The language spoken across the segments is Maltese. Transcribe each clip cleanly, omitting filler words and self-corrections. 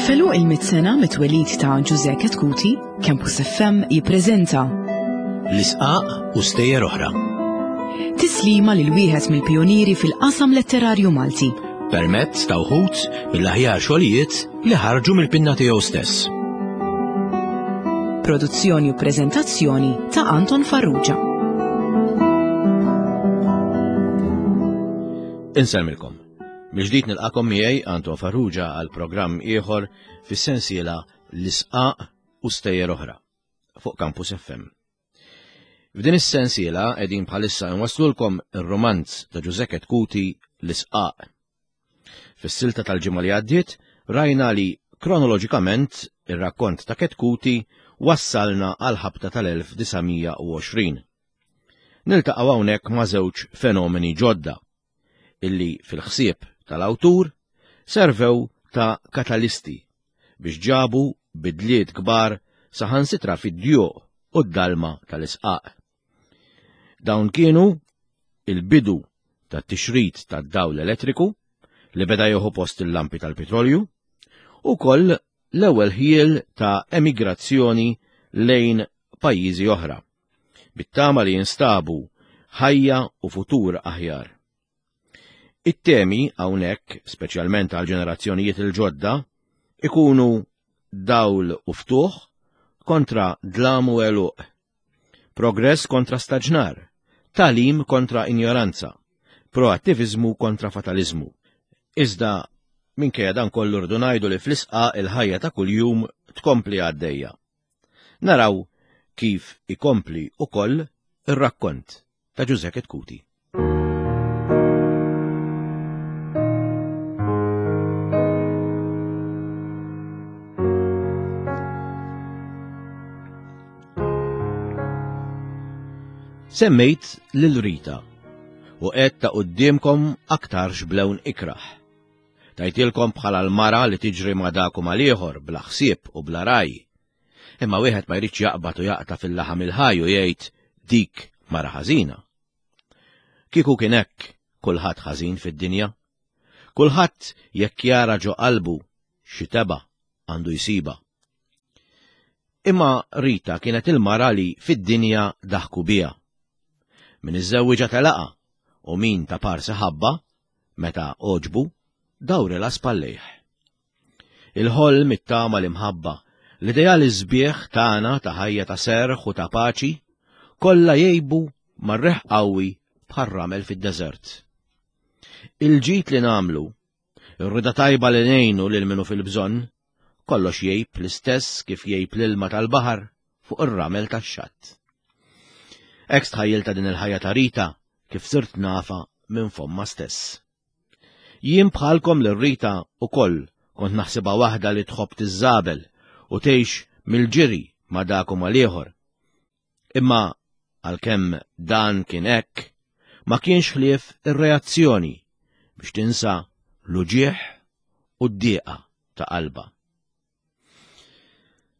Felu il-mit sena mit-twelid ta' Ġużè Ketkuti, Campus FM jippreżenta L-isqaq u stejjer oħra. Tislima lil wieħed mill-pijunieri fil-qasam letterarju Malti. Permezz ta' wħud mill-aħjar xogħlijiet li ħarġu mill-pinna tiegħu stess. Produzzjoni u preżentazzjoni ta' Anton Farrugia. Insellmilkom. Mill-ġdid nilqakom miegħi Anton Farrugia għal programm ieħor fis-sensiela L-Isqaq u Stejjer Oħra fuq Campus FM. F'din is-sensiela qegħdin bħalissa nwaslulkom ir-rumanz ta' Ġużè Ketkuti L-Isqaq. Fis-silta tal-ġimgħa li għaddiet rajna li kronoloġikament ir-rakkont ta' Ketkuti wassalna għal ħabta tal-1920. Niltaqgħu hawnhekk ma' żewġ fenomeni ġodda illi fil-ħsieb tal-awtur servew ta' katalisti biex ġabu bidliet kbar saħansitra fid-djuq u d-dalma tal-isqaq. Dawn kienu il-bidu tat-tixrid tad-dawl elettriku li beda jieħu post il-lampi tal-pitrolju u koll l-ewwel ħjiel ta' emigrazzjoni lejn pajjiżi oħra. bit-tama li jinstabu ħajja u futur aħjar. It-temi hawnhekk, speċjalment għal ġenerazzjonijiet il-ġodda, ikunu dawl u ftuħ kontra dlam u għeluq, progress kontra staġnar, tagħlim kontra injoranza, proattiviżmu kontra fataliżmu. Iżda minkejja dan kollu rridu ngħidu li fl-isqa il-ħajja ta' kuljum tkompli għaddejja. Naraw kif ikompli ukoll ir-rakkont ta' Ġużè Ketkuti. Semmejt lil Rita u qed ta' quddiemkom aktarx b'lewn ikrah. Tajtilkom bħala l-mara li tiġri ma' dak u mal-ieħor bla ħsieb u bla raj. Imma wieħed ma jridx jaqbad u jaqta' fil-laħam il-ħaj u jgħid dik mara ħażina. Kieku kien hekk kulħadd ħażin fid-dinja. Kulħadd jekk jara ġo qalbu xi tebgħa għandu jsibha. Imma Rita kienet il-mara li fid-dinja daħku biha. Min iżżewwiġha telaqha u min ta' parsi ħabba meta għoġbu, dawrilha spallejh. Il-ħolm, it-tama, l-imħabba, l-ideali sbieħ tagħna ta' ħajja ta' serħ u ta' paċi, kollha jgħibu mar-riħ qawwi bħar-ramel fid-deżert. Il-ġid li nagħmlu, ir-rida tajba li ngħinu lil min hu fil-bżonn, kollox jgħib l-istess kif jgħib l-ilma tal-baħar fuq ir-ramel tax-xatt. Hekk stħajjiltha din il-ħajja ta' Rita kif sirt nafha minn fommha stess. Jien bħalkom lil Rita ukoll kont naħsibha waħda li tħobb tiżżabel u tgħix mill-ġiri ma' dak u mal-ieħor. Imma għalkemm dan kien hekk, ma kienx ħlief ir-reazzjoni biex tinsa l-uġigħ u d-dieqa ta' qalbha.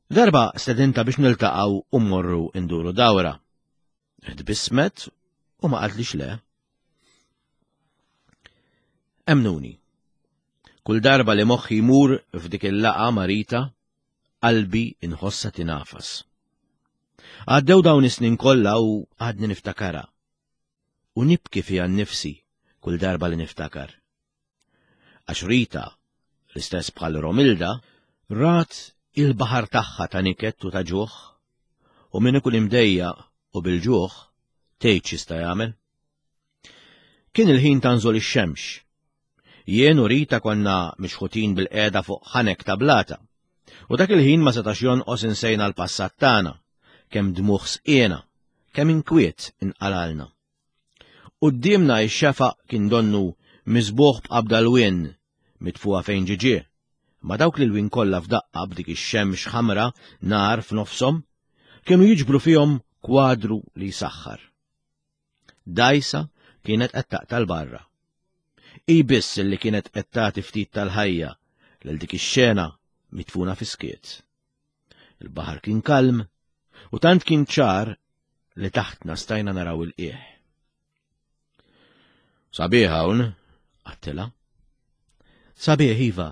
Darba stedinta biex niltaqgħu u mmorru nduru dawra. Tbissmet u ma qaltlix le. Emnuni. Kull darba li moħħi jmur f'dik il-laqa ma' Rita, qalbi inħossha tinafas. Għaddew dawn is-snin kollha u għadni niftakarha. U nibki fiha nnifsi kull darba li niftakar. Għax Rita, l-istess bħal Romilda, rat il-baħar tagħha ta' niket u ta' ġuħ, u min ikun imdejjaq u bil-ġuħ, tgħid x'jista' jagħmel? Kien il-ħin ta' nżul ix-xemx. Jien u Rita konna mixħutin bil-qiegħda fuq ħanek ta' blata. U dak il-ħin ma setax jonqos insejna l-passat tagħna, kemm dmugħ sqiena, kemm inkwiet inqalalna. Quddiemna x-xefaq kien donnu miżbugħ b'qabda lwien mitfugħa fejn ġie ġie, imma dawk l-ilwien kollha f'daqqa b'dik ix-xemx ħamra nar f'nofshom kienu jiġbru fihom kwadru li jsaħħar. Dgħajsa kienet qed taqta' 'l barra. Hi biss li kienet qed tagħti ftit tal-ħajja lil dik ix-xena midfuna fis-skiet. Il-baħar kien kalm u tant kien ċar li taħtna stajna naraw il-qiegħ. Sabiħ hawn, għattila. Sabiħ iva.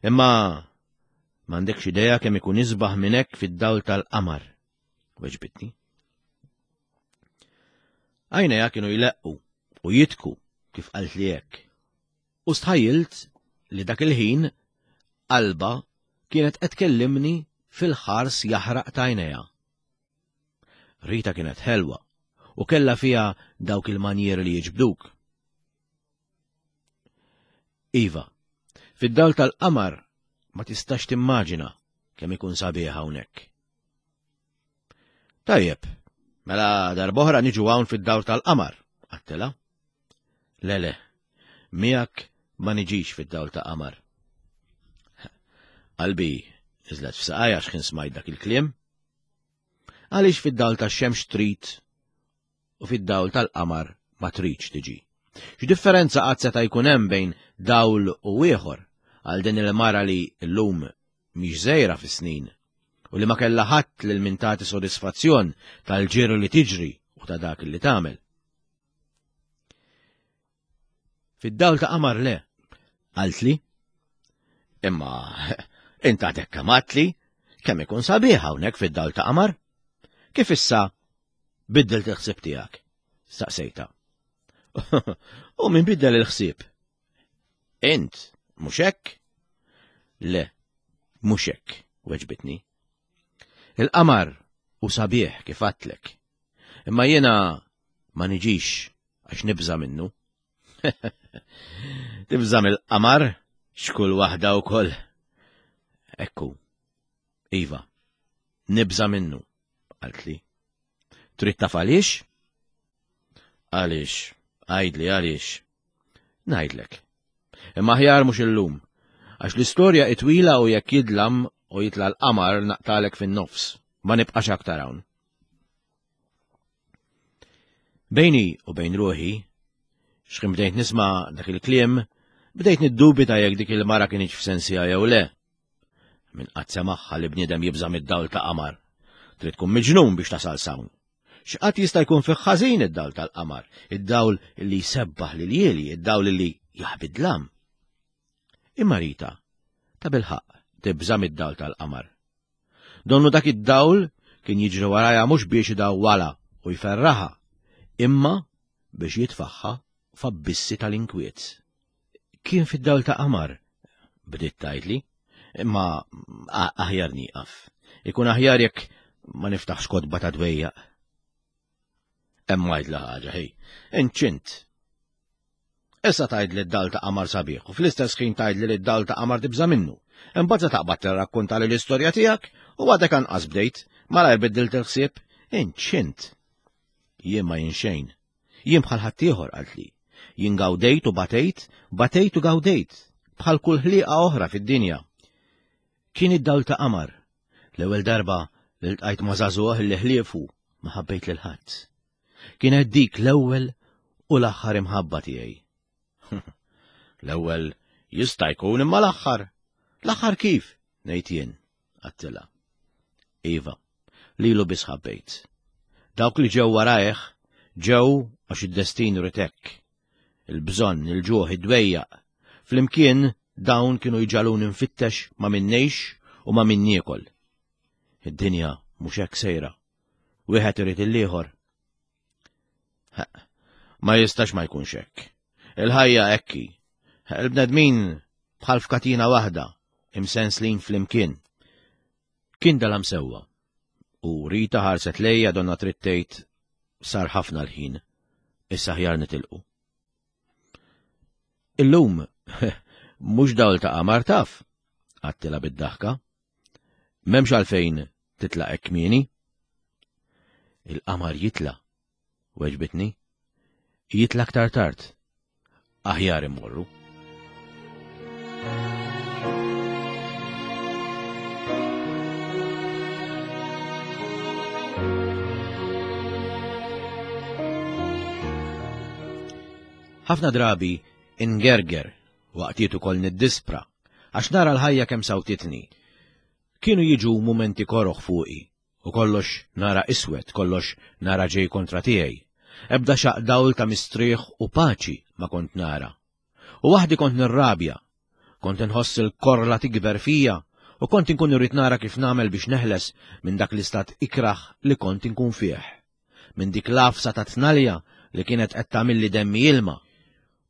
Imma M'għandekx idea kemm ikun isbaħ minn hekk fid-dawl tal-qamar, weġbitni. Għajnejha kienu jleqqu u jitku kif qaltli hekk. U stħajjilt li dak il-ħin qalbha kienet qed tkellimni fil-ħars jaħraq t'għajnejha. Rita kienet ħelwa u kellha fiha dawk il-manjieri li jiġbduk. Iva, fid-dawl tal-qamar ma tistax timmaġina kemm ikun sabiħ hawnhekk. Tajjeb, mela darb'oħra niġu hawn fid-dawl tal-qamar, għattilha. Le le, miegħek ma niġix fid-dawl ta' qamar. Qalbi niżlet f'saqajja x'ħin smajt dak il-kliem. Għaliex fid-dawl tax-xemx trid u fid-dawl tal-qamar ma tridx tiġi? X'differenza qatt seta' jkun hemm bejn dawl u ieħor għal din il-mara li llum mhix żgħira fis-snin u li ma kellha ħadd lil min tagħti sodisfazzjon tal-ġiri li tiġri u ta' dak li tagħmel? Fid-dawl ta' qamar le, qaltli. Imma int għadek kemm għadtli kemm ikun sabiħ hawnhekk fid-dawl ta' qamar. Kif issa biddilt il-ħsieb tiegħek? Staqsejta. U min biddel il-ħsieb? Int, mhux hekk? Le, mhux hekk, weġbitni. Il-qamar u sabiħ kif għadtlek. Imma jiena ma niġix għax nibża' minnu. Tibża' mill-qamar x'kull waħda wkoll. Ekku. Iva, nibża' minnu, qaltli. Trid taf għaliex? Għaliex, għidli għaliex. Ngħidlek. Imma aħjar mhux illum, għax l-istorja itwila u jekk jidlam u jitla' l-qamar naqtalek fin-nofs, ma nibqax aktar hawn. Bejni u bejn ruħi, x'kien bdejt nisma' dak il-kliem, bdejt niddubita jekk dik il-mara kienx f'sensija jew le. Min qatt semagħha li bniedem jibża' mid-dawl ta' qamar. Trid tkun miġnun biex tasal s'hawn. X'qatt jista' jkun fih ħażin id-dawl tal-qamar, id-dawl li jsebbaħ l-iljieli, id-dawl li jaħbi d-dlam. Imma Rita, ta' bilħaqq, tibża' mid-dawl tal-qamar. Donnu dak id-dawl kien jiġri warajha mhux biex idawwalha u jferraħha, imma biex jitfagħha f'abbissi tal-inkwiet. Kien fid-dawl ta' qamar, bdiet tgħidli, imma aħjar nieqaf. Ikun aħjar jekk ma niftaħx kotba ta' dwejjaq. Hemm għidla ħaġa, ħej, inċint. Issa tgħidli d-dal ta' qamar sabiħ u fl-istess ħin tgħidli li d-dal ta' qamar tibża' minnu. Imbagħad se taqbad tirrakkuntali l-istorja tiegħek u għadek anqas bdejt, malajr biddilt il-ħsieb, inċint. Jien ma jien xejn. Jien bħal ħaddieħor qaltli. Jien gawdejt u batejt, batejt u gawdejt, bħal kull ħliqa oħra fid-dinja. Kien id-dawl ta' qamar. L-ewwel darba li ltqajt ma' żagħżugħ li ħliefu ma ħabbejt lil ħadd. Kienet dik l-ewwel u l-aħħar imħabba tiegħi. L-ewwel jista' jkun imma l-aħħar. L-aħħar kif? Ngħid jien, għattilha. Iva, lilu biss ħabbejt. Dawk li ġew warajh ġew għax id-destin ried hekk. Il-bżonn, il-ġuħ, id-dwejjaq. Flimkien dawn kienu jġagħluni nfittex ma' min ngħix u ma' min niekol. Id-dinja mhux hekk sejra. Wieħed irid il-ieħor. Ma jistax ma jkunx hekk. Il-ħajja hekk hi. Il-bnedmin bħal f'katina waħda, imsenslin flimkien. Kien dalam sewwa. U Rita ħarset lejja donna trid tgħid sar ħafna l-ħin, issa aħjar nitilqu. Illum mhux dawl ta' qamar taf, għattilha bid-daħka. M'hemmx għalfejn titlaq hekk kmieni. Il-qamar jitla', weġbitni. Jitla' aktar tard. Aħjar immorru. Ħafna drabi ingerger waqtiet ukoll niddispra għax nara l-ħajja kemm sawtitni. Kienu jiġu mumenti koroh fuqi U kollox nara iswed, kollox nara ġej kontra tiegħi. Ebda xaqq dawl ta' mistrieħ u paċi ma kont nara. U waħdi kont nirrabja. Kont inħoss il-korla tikber fija. U kont inkun irrid nara kif nagħmel biex neħles minn dak l-istat ikrah li kont inkun fih. Minn dik l-għafsa ta' tnalja li kienet qed tagħmilli demmi ilma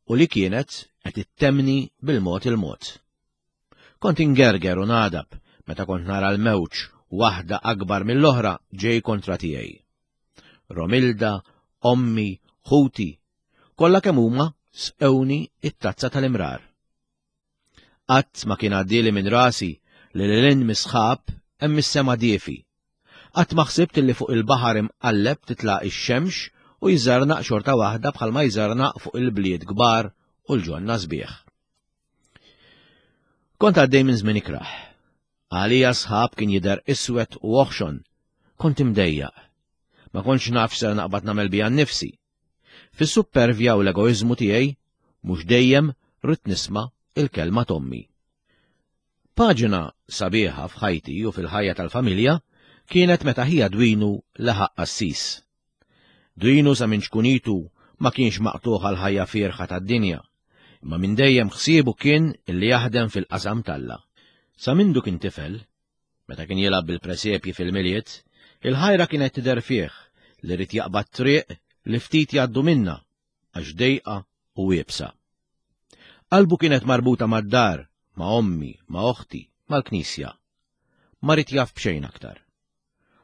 u li kienet qed ittemmni bil-mod il-mod. Kont ingerger u nagħdab meta kont nara l-mewġ waħda akbar mill-oħra ġej kontra tiegħi. Romilda, ommi, ħuti, kollha kemm huma sqewni it-tazza tal-imrar. Qatt ma kien għaddieli minn rasi li lil hinn mis-sħab hemm is-sema diefi. Qatt ma ħsibt li fuq il-baħar imqalleb titla' x-xemx u jżarnaq xorta waħda bħalma jżarnaq fuq il-bliet kbar u l-ġonna sbieħ. Kont għaddej minn żmien ikrah. Għalija sħab kien jidher iswed u oħxon. Kont imdejjaq. Ma kontx naf x'ser naqbad nagħmel bija nnifsi. Fis-suppervja u l-egoiżmu tiegħi mhux dejjem ridt nisma' il-kelma t'ommi. Paġna sabiħa f'ħajti u fil-ħajja tal-familja kienet meta ħija Dwinu laħaq qassis. Dwinu sa minn ċkunitu ma kienx maqtugħ għall-ħajja fierħa tad-dinja, imma minn dejjem ħsiebu kien li jaħdem fil-qasam t'Alla. Sa mindu kien tifel, Meta kien jilgħab bil-presepji fil-Milied, il-ħajra kienet tidher fih li ried jaqbad triq li ftit jgħaddu minnha għax dejqa u iebsa. Qalbu kienet marbuta mad-dar, ma' ommi, ma' oħti, mal-knisja. Ma ried jaf b'xejn aktar.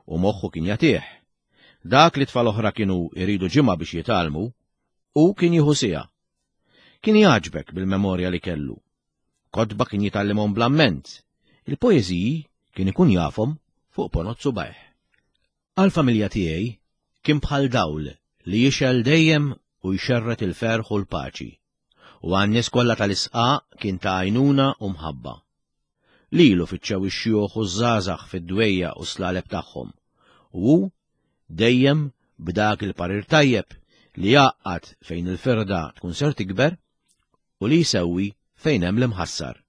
U moħħu kien jagħtih. Dak li tfal oħra kienu jridu ġimgħa biex jitgħallmu, hu kien jieħu siegħa. Kien jgħaġbek bil-memorja li kellu. Kotba kien jitgħallimhom bl-amment, il-poeżiji kien ikun jafhom fuq ponot subgħajh. Għall-familja tiegħi kien bħal dawl li jixgħel dejjem u jxerred il-ferħ u l-paċi, u għan-nies kollha tal-isqaq kien ta' għajnuna u mħabba. Lilu fittxew ix-xjuħ u ż-żgħażagħ fid-dwejjaq u s-slaleb tagħhom, u hu dejjem b'dak il-parir tajjeb li jgħaqqad fejn il-firda tkun ser tikber u li jsewwi fejn hemm l-imħassar.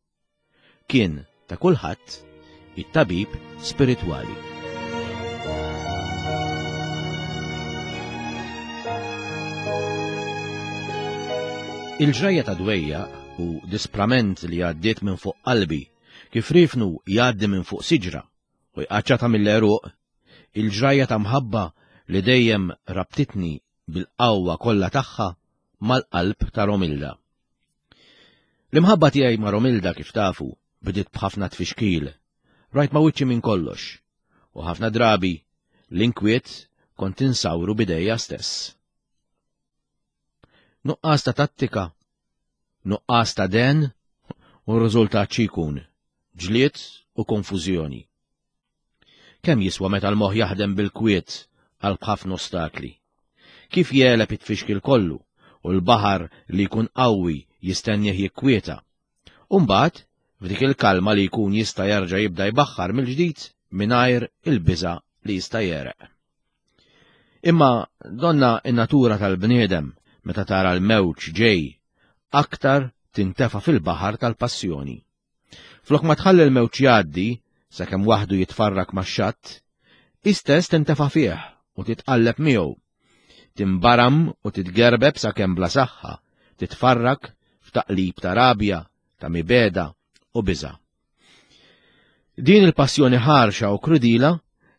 Kien ta' kulħadd it-tabib spiritwali. Il-ġrajja ta' dwejjaq u disprament li għaddiet minn fuq qalbi kif riefnu jgħaddi minn fuq siġra u jqaċċatha mill-għeruq, il-ġrajja ta' mħabba li dejjem rabtitni bil-qawwa kollha tagħha mal-qalb ta' Romilda. L-imħabba tiegħi ma' Romilda kif tafu bdiet b'ħafna tfixkil, rajt ma' wiċċi minn kollox, u ħafna drabi l-inkwiet kont insawru b'idejja stess. Nuqqas ta' tattika, nuqqas ta' den, u r-riżultat xi jkun? Ġlied u konfużjoni. Kemm jiswa meta l-moħħ jaħdem bil-kwiet qalb ħafna ostakli? Kif jegħleb it-tfixkil kollu u l-baħar li jkun qawwi jistennieh jikkwieta? U mbagħad, f'dik il-kalma li jkun jista' jerġa' jibda jbaħħar mill-ġdid mingħajr il-biża' li jista' jegħreq. Imma donna n-natura tal-bniedem meta tara l-mewġ ġej aktar tintefa' fil-baħar tal-passjoni. Flok ma tħalli l-mewġ jgħaddi sakemm waħdu jitfarrak max-xatt, hi stess tintefa' fih u titqalleb miegħu. Tinbaram u titgerbeb sakemm bla saħħa titfarrak f'taqlib ta' rabja, ta' mibegħda u biża'. Din il-passjoni ħarxa u krudila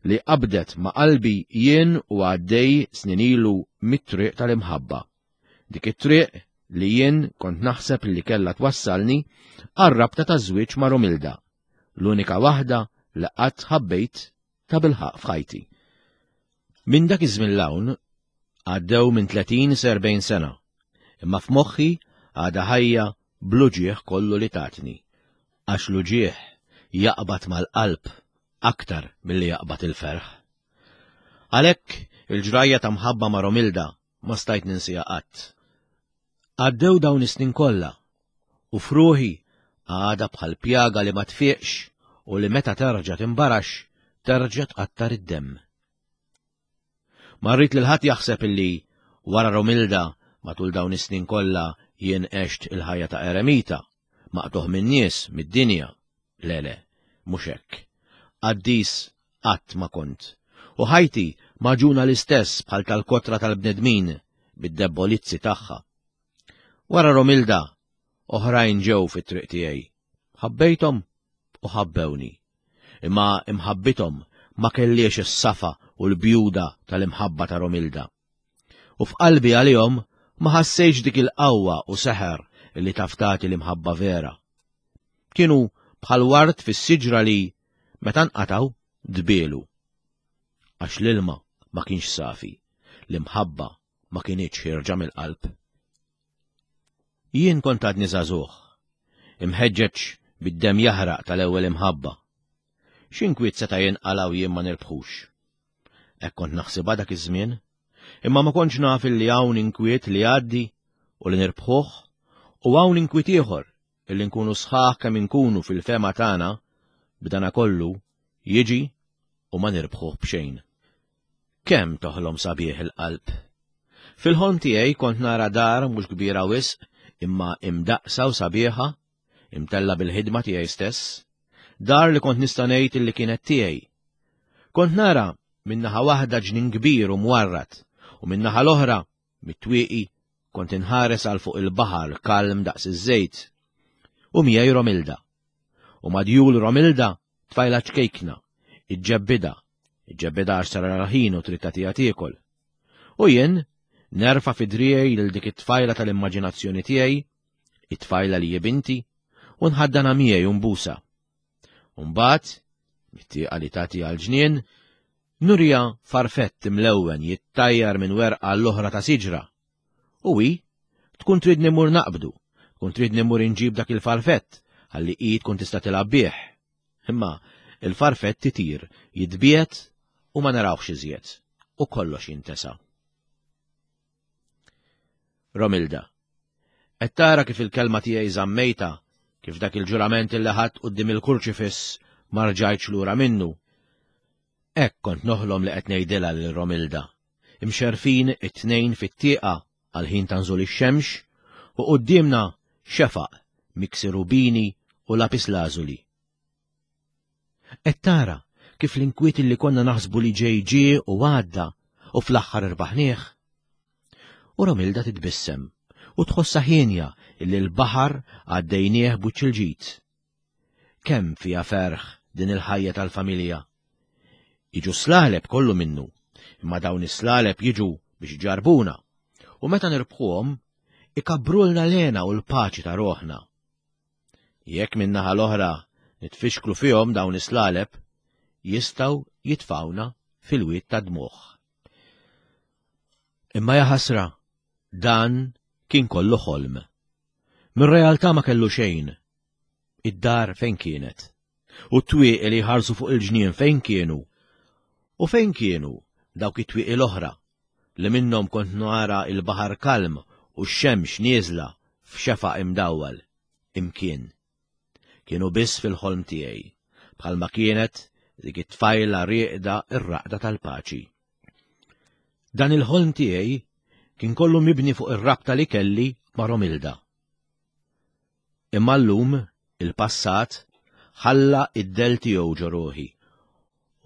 li qabdet ma' qalbi jien u għaddej snin ilu mit-triq tal-imħabba. Dik it-triq li jien kont naħseb li kellha twassalni għar-rabta taż-żwieġ ma' Romilda, l-unika waħda li qatt ħabbejt tabilħaqq f'ħajti. Minn dak iż-żmien 'l hawn għaddew minn 30 sa 40 sena, imma f'moħħi għadha ħajja bl-uġigħ kollu li tatni. Għax l-uġigħ jaqbad mal-qalb aktar milli jaqbad il-ferħ. Għalhekk il-ġrajja ta' mħabba ma' Romilda ma stajt ninsiha qatt. Għaddew dawn is-snin kollha u f'ruħi għadha bħal pjaga li ma tfiqx u li meta terġa' timbarax terġa' tqattar id-demm. Ma rrid lil ħadd jaħseb illi wara Romilda matul dawn is-snin kollha jien għext il-ħajja ta' eremita, maqtugħ min-nies, mid-dinja. Le, le, mhux hekk. Qaddis qatt ma kont. U ħajti magħġuna l-istess bħal tal-kotra tal-bnedmin bid-debbolizzi tagħha. Wara Romilda, oħrajn ġew fit-triq tiegħi. Ħabbejthom u ħabbewni. Imma imħabbithom ma kellhiex is-safa u l-bjuda tal-imħabba ta' Romilda. U f'qalbi għalihom ma ħassejtx dik il-qawwa u seħer li taf tagħti l-imħabba vera. Kienu bħal ward fis-siġra li, meta nqatgħu, dbielu. Għax l-ilma ma kienx safi, l-imħabba ma kinitx ħierġa mill-qalb. Jien kont għadni żagħżugħ, imħeġġeġ bid-demm jaħraq tal-ewwel imħabba. X'inkwiet seta' jinqala' u jien ma nirbħux? Hekk kont naħsibha dak iż-żmien, imma ma kontx naf illi hawn inkwiet li jgħaddi u li nirbħuh u hawn inkwiet ieħor illi nkunu sħaħ kemm inkunu fil-fehma tagħna b'danakollu jiġi u ma nirbħuh b'xejn. Kemm toħlom sabiħ il-qalb! Fil-ħolm tiegħi kont nara dar mhux kbira wisq imma imdaqqsa u sabiħa, imtellgħa bil-ħidma tiegħi stess. Dar li kont nista' ngħid illi kienet tiegħi. Kont nara minn naħa waħda ġnien kbir u mwarrad u min-naħa l-oħra, mit-twieqi, kont inħares għal fuq il-baħar kalm daqs iż-żejt. U miegħi Romilda. U madjul Romilda Tfajla ċkejkna, iġġebbidha, iġġebbidha għax sar ħin u trid tagħtiha tiekol. U jien, nerfa' fi driegħi lil dik it-tfajla tal-immaġinazzjoni tiegħi, it-tfajla li hi binti, u nħaddanha miegħi u nbusha. U mbagħad, mit-tieqa li tagħti għall-ġnien, nuriha farfett imlewwen jittajjar minn werqa għall-oħra ta' siġra. U hi tkun tridni mmur naqbdu, tkun tridni mmur inġib dak il-farfett ħalli hi tkun tista' tilgħab bih. Imma il-farfett itir, jitbiegħed u ma narawhx iżjed, u kollox jintesa. Romilda, qed tara kif il-kelma tiegħi żammejtha, kif dak il-ġurament illi ħadt quddiem il-kurċifiss ma rġajtx lura minnu. Hekk kont noħlom li qed ngħidilha lil Romilda. imxerrfin it-tnejn fit-tieqa għall-ħin ta' nżul ix-xemx, u quddiemna xefaq miksi rubini u lapislażuli. Qed tara kif l-inkwiet li konna naħsbu li ġej ġie u għadda u fl-aħħar irbaħnieh? U Romilda titbissem u tħossha hienja illi l-baħar għaddejnieh b'wiċċ il-ġid. Kemm fiha ferħ din il-ħajja tal-familja! Jiġu s-slaleb kollu minnu, imma dawn is-slaleb jiġu biex iġarrbuna, u meta nirbħuhom, ikabbrulna l-hena u l-paċi ta' ruħna. Jekk min-naħa l-oħra nitfixklu fihom dawn is-slaleb, jistgħu jitfgħuna fil-wied tad-dmugħ. Imma jaħasra, dan kien kollu ħolm. Mir-realtà ma kellu xejn, Id-dar fejn kienet? U t-twieqi li jħarsu fuq il-ġnien fejn kienu? U fejn kienu dawk it-twieqi l-oħra li minnhom kont nara l-baħar kalm u x-xemx nieżla f'xefaq imdawwal? Imkien. Kienu biss fil-ħolm tiegħi, bħalma kienet dik it-tfajla rieqda r-raqda tal-paċi. Dan il-ħolm tiegħi kien kollu mibni fuq ir-rabta li kelli ma' Romilda. Imma llum il-passat ħalla id-dell tiegħu ġo ruħi.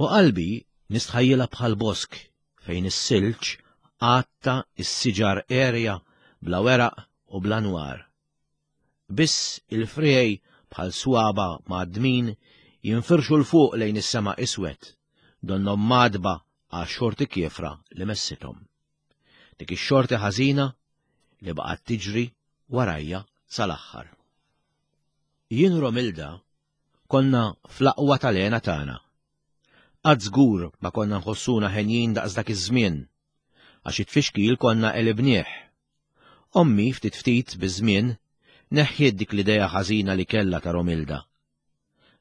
U qalbi nistħajjilha bħal bosk fejn is-silġ għatta s-siġar għerja bla weraq u bla nwar. Biss il-friegħi bħal swaba' mgħaddmin jinfirxu 'l fuq lejn is-sema iswed, donnhom mgħaddba għax-xorti kiefra li messithom. Dik ix-xorti ħażina li baqgħet tiġri warajja sal-aħħar. Jien u Romilda konna fl-aqwa tal-hena tagħna. Qatt żgur ma konna nħossuna henjin daqs dak iż-żmien, għax it-tfixkil konna għelibnieh. Ommi ftit ftit biż-żmien neħħiet dik l-idea ħażina li kellha ta' Romilda.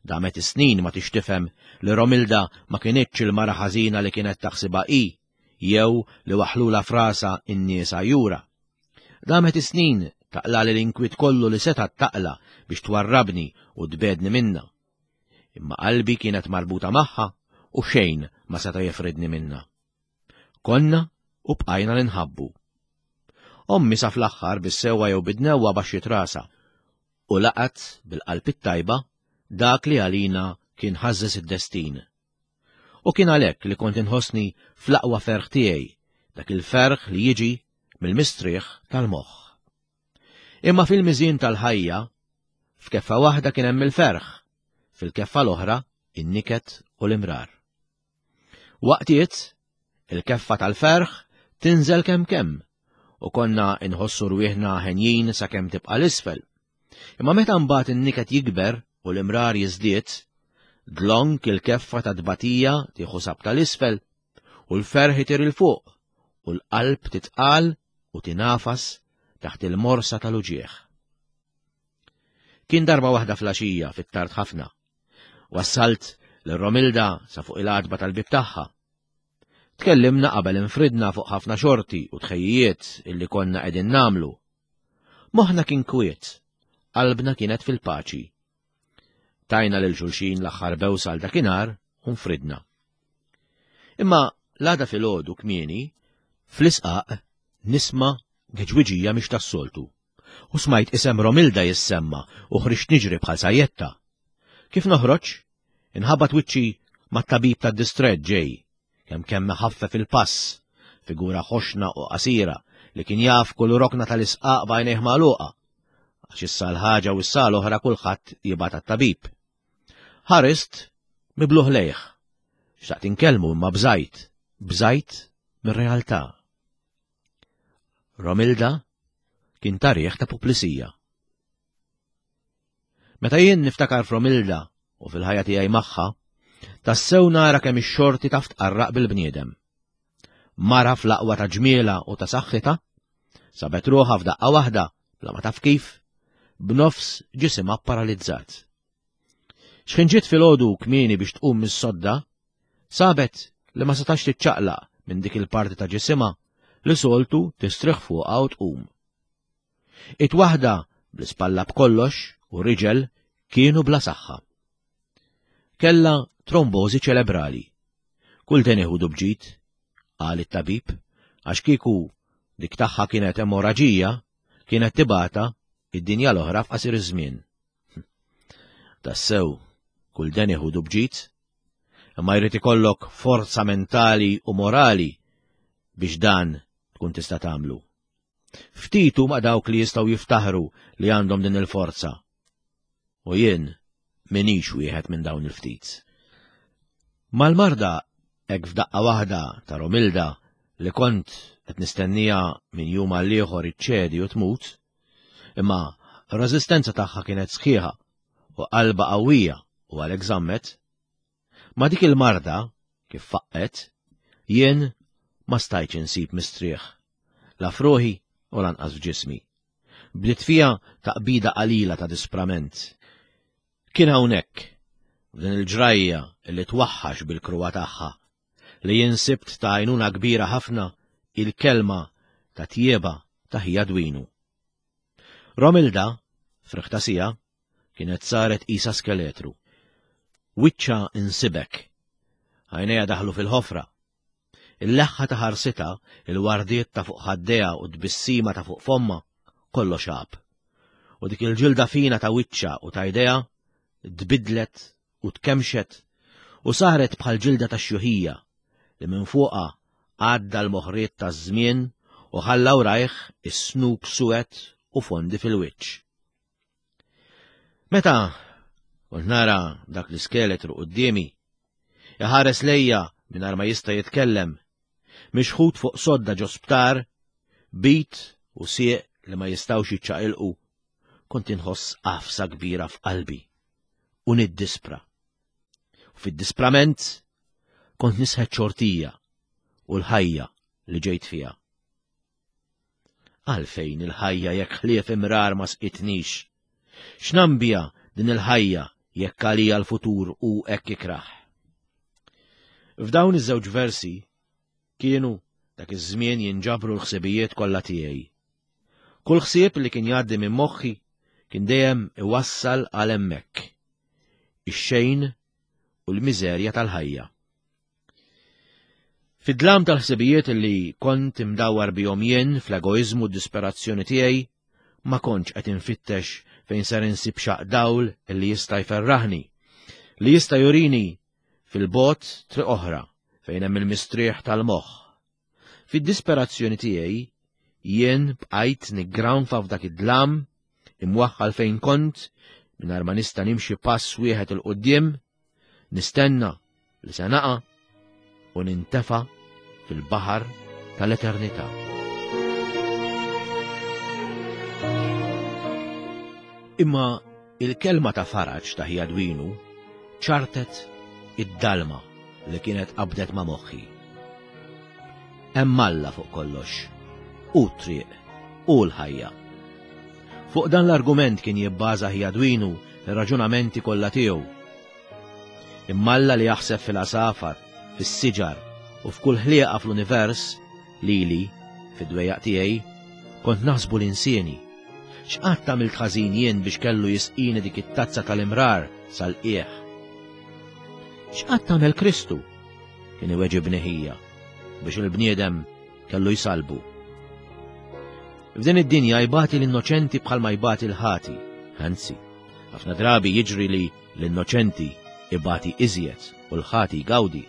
Damet is-snin ma tix tifhem li Romilda ma kinitx il-mara ħażina li kienet taħsibha hi jew li waħħlulha f'rasha n-nies għajjura. Damet is-snin taqlali l-inkwiet kollu li setgħet taqla' biex twarrabni u tbegħdni minnha. Imma qalbi kienet marbuta magħha u xejn ma seta' jifridni minnha. Konna u bqajna ninħabbu. Ommi sa fl-aħħar bis-sewwa jew bid-dnewwa baxxiet rasha u laqgħet bil-qalb it-tajba dak li għalina kien ħażżeż id-destin. U kien għalhekk li kont inħossni fl-aqwa ferħ tiegħi, dak il-ferħ li jiġi mill-mistrieħ tal-moħħ. Imma fil-miżien tal-ħajja, f'keffa waħda kien hemm il-ferħ, fil-keffa l-oħra in-niket u l-imrar. Waqtiet, il-keffa tal-ferħ tinżel kemm kemm u konna inħossu rwieħna henjin sakemm tibqa' l-isfel. Imma meta mbagħad in-niket jikber u l-imrar jiżdied, dlonk il-keffa ta' tbatija tieħu sabta l-isfel u l-ferħ itir 'il fuq u l-qalb titqal u tingħafas taħt il-morsa tal-uġigħ. Kien darba waħda flaxija fit-tard ħafna. Wassalt lil Romilda sa fuq il-għatba tal-bib tagħha. Tkellimna qabel infridna fuq ħafna xorti u tħejjijiet illi konna qegħdin nagħmlu. Moħħna kien kwiet, qalbna kienet fil-paċi. Tajna lil xulxin l-aħħar bewsa għal dakinhar u nfridna. Imma l-għada filgħodu kmieni, fl-isqaq nisma' geġwiġija mhix tas-soltu. U smajt isem Romilda jissemma u ħriġt niġri bħal sajjetta. Kif noħroġ, inħabat wiċċi mat-tabib tad-distrett ġej, kemm kemm iħaffef il-pass, figura ħoxna u qasira li kien jaf kull rokna tal-isqaq b'għajnejh magħluqa, għax issa l-ħaġa u issa l-oħra kulħadd jibgħat għat-tabib. Ħarist mibluh lejh. Xtaqt inkellmu imma bżajt, bżajt mir-realtà. Romilda kien tarieħ ta' puplisija. Meta jien niftakar f'Romilda u fil-ħajja tiegħi magħha, tassew nara kemm ix-xorti taf tqarraq bil-bniedem. Mara fl-aqwa ta' ġmiela u ta' saħħitha, sabet ruħha f'daqqa waħda, bla ma taf kif, b'nofs ġisimha paralizzat. X'ħin ġiet filgħodu kmieni biex tqum mis-sodda, sabet li ma setax tiċċaqlaq minn dik il-parti ta' ġisimha li soltu tistrieħ fuqha u tqum. It waħda bl-ispalla b'kollox u riġel kienu bla saħħa. Kella trombożi ċelebrali. Kull den iħudu bġid, qal it-tabib, għax kieku dik tagħha kienet emorraġija, kienet tibata id-dinja l-oħra f'qasir iż-żmien. Tassew, kull den iħudu bġid, imma jrid ikollok forza mentali u morali biex dan tkun tista' tagħmlu. Ftit huma dawk li jistgħu jiftaħru li għandhom din il-forza. U jien minix wieħed minn dawn il-ftit. Mal-marda hekk f'daqqa waħda ta' Romilda li kont qed nistennija minn jum għal ieħor iċċedi u tmut, Imma r-reżistenza tagħha kienet sħiħa u qalbha qawwija u għalhekk żammet. Ma' dik il-marda, kif faqqgħet, jien ma stajtx insib mistrieħ, la f'ruħi u lanqas f'ġismi. Bdiet fija taqbida qalila ta' disprament. Kien hawnhekk, f'din il-ġrajja li twaħħax bil-kruha tagħha, li jien sibt ta' għajnuna kbira ħafna il-kelma ta' tjieba ta' ħija Dwinu. Romilda, friħta sija, kienet saret qisha skeletru. Wiċċha insibek. Għajnejha daħlu fil-ħofra. Il-leħħa ta' ħarsitha, il-wardiet ta' fuq ħaddejha u t-tbissima ta' fuq fommha, kollox għab. U dik il-ġilda fina ta' wiċċha u ta' jdejha tbiddlet u tkemmxet u saret bħal ġilda tax-xjuħija li minn fuqha għadda l-moħriet taż-żmien u ħalla wrajh is-snub suwed u fondi fil-wiċċ. Meta kont nara dak l-iskeletru quddiemi, iħares lejja mingħajr ma jista' jitkellem, mixħut fuq sodda ġo sptar, bit u sieq li ma jistgħux jiċċaqilqu, kont inħoss għafsa kbira f'qalbi u niddispra. U fid-disprament kont nisħet xortija u l-ħajja li ġejt fiha. Għalfejn il-ħajja jekk ħlief imrar ma sqitnix? X'nambija din il-ħajja jekk għalija l-futur hu hekk ikrah? F'dawn iż-żewġ versi kienu dak iż-żmien jinġabru l-ħsibijiet kollha tiegħi. Kull ħsieb li kien jgħaddi minn moħħi kien dejjem iwassal għal hemmhekk. Ix-xejn u l-miżerja tal-ħajja. Fid-dlam tal-ħsibijiet li kont imdawwar bihom jien fl-egoiżmu u d-disperazzjoni tiegħi, ma kontx qed infittex fejn ser insib xaq dawl li jista' jferraħni, li jista' jurini fil-bogħod triq oħra fejn hemm il-mistrieħ tal-moħħ. Fid-disperazzjoni tiegħi, jien bqajt niggranfa f'dak id-dlam, imwaħħal fejn kont, mingħajr ma nista' nimxi pass wieħed 'il quddiem. Nistenna li se naqa' u nintefa' fil-baħar tal-eternità. Imma il-kelma ta' faraġ ta' ħija Dwinu ċartet id-dalma li kienet qabdet ma' moħħi. Hemm Alla fuq kollox, hu t-triq, hu l-ħajja. Fuq dan l-argument kien jibbaża ħija Dwinu r-raġunamenti kollha tiegħu. Imma Alla li jaħseb fil-għasafar, fis-siġar u f'kull ħlieqa fl-univers, lili, fid-dwejjaq tiegħi, kont naħsbu li nsieni. X'qatt għamilt ħażin jien biex kellu jisqini dik it-tazza tal-imrar sal-qiegħ? X'qatt għamel Kristu? Kien iweġibni ħija biex il-bniedem kellu jsallbu. F'din id-dinja jbati l-innoċenti bħalma jbati l-ħati, anzi, ħafna drabi jiġri li L-innoċenti ibati iżjed u l-ħati jgawdi.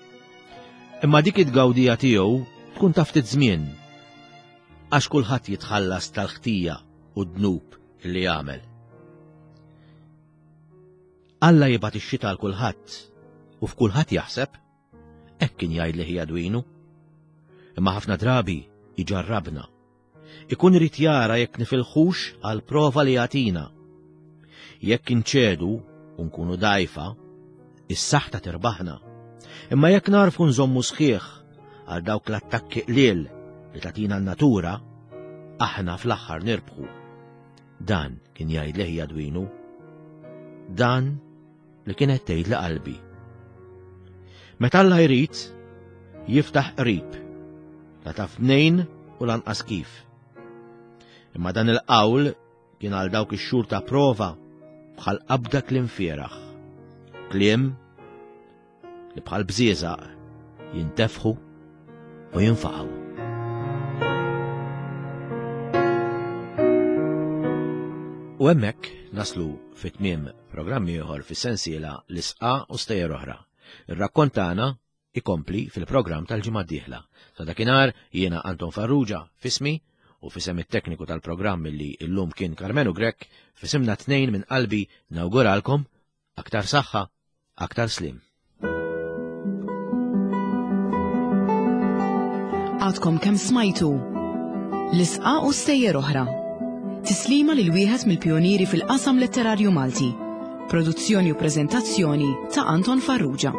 Imma dik it-tgawdija tiegħu tkun ta' ftit żmien, għax kulħadd jitħallas tal-ħtija u d-dnub li jagħmel. Alla jibgħat ix-xita għal kulħadd u f'kulħadd jaħseb, hekk kien jgħidli ħija Dwinu. Imma ħafna drabi jġarrabna Ikun irid jara jekk nifilħux għall-prova li jagħtina. Jekk inċedu u nkunu dgħajfa, is-saħta tirbaħna. Imma jekk narfu nżommu sħiħ għal dawk l-attakki qliel li tagħtina n-natura, aħna fl-aħħar nirbħu. Dan kien jgħidli ħija Dwinu. Dan li kienet tgħidli qalbi. Meta Alla jrid, jiftaħ qrib, la taf mnejn u lanqas kif. Imma dan il-qawl kien għal dawk ix-xhur ta' prova bħal qabda kliem fieraħ. Kliem li bħal bżieżaq jintefħu u jinfaqgħu. U hemmhekk naslu fi tmiem programm ieħor fis-sensiela L-Isqa u Stejjer Oħra. Ir-rakkont tagħna ikompli fil-programm tal-ġimgħa d-dieħla. Sa dakinhar jiena Anton Farrugia f'ismi u f'isem it-tekniku tal-programm li llum kien Karmenu Grech f'isimna tnejn minn qalbi nawguralkom aktar saħħa Aktar sliem. Għadkom kemm smajtu L-isqa u stejjer oħra. Tislima lil wieħed mill-pijunieri fil-qasam letterarju Malti. Produzzjoni u preżentazzjoni ta' Anton Farrugia.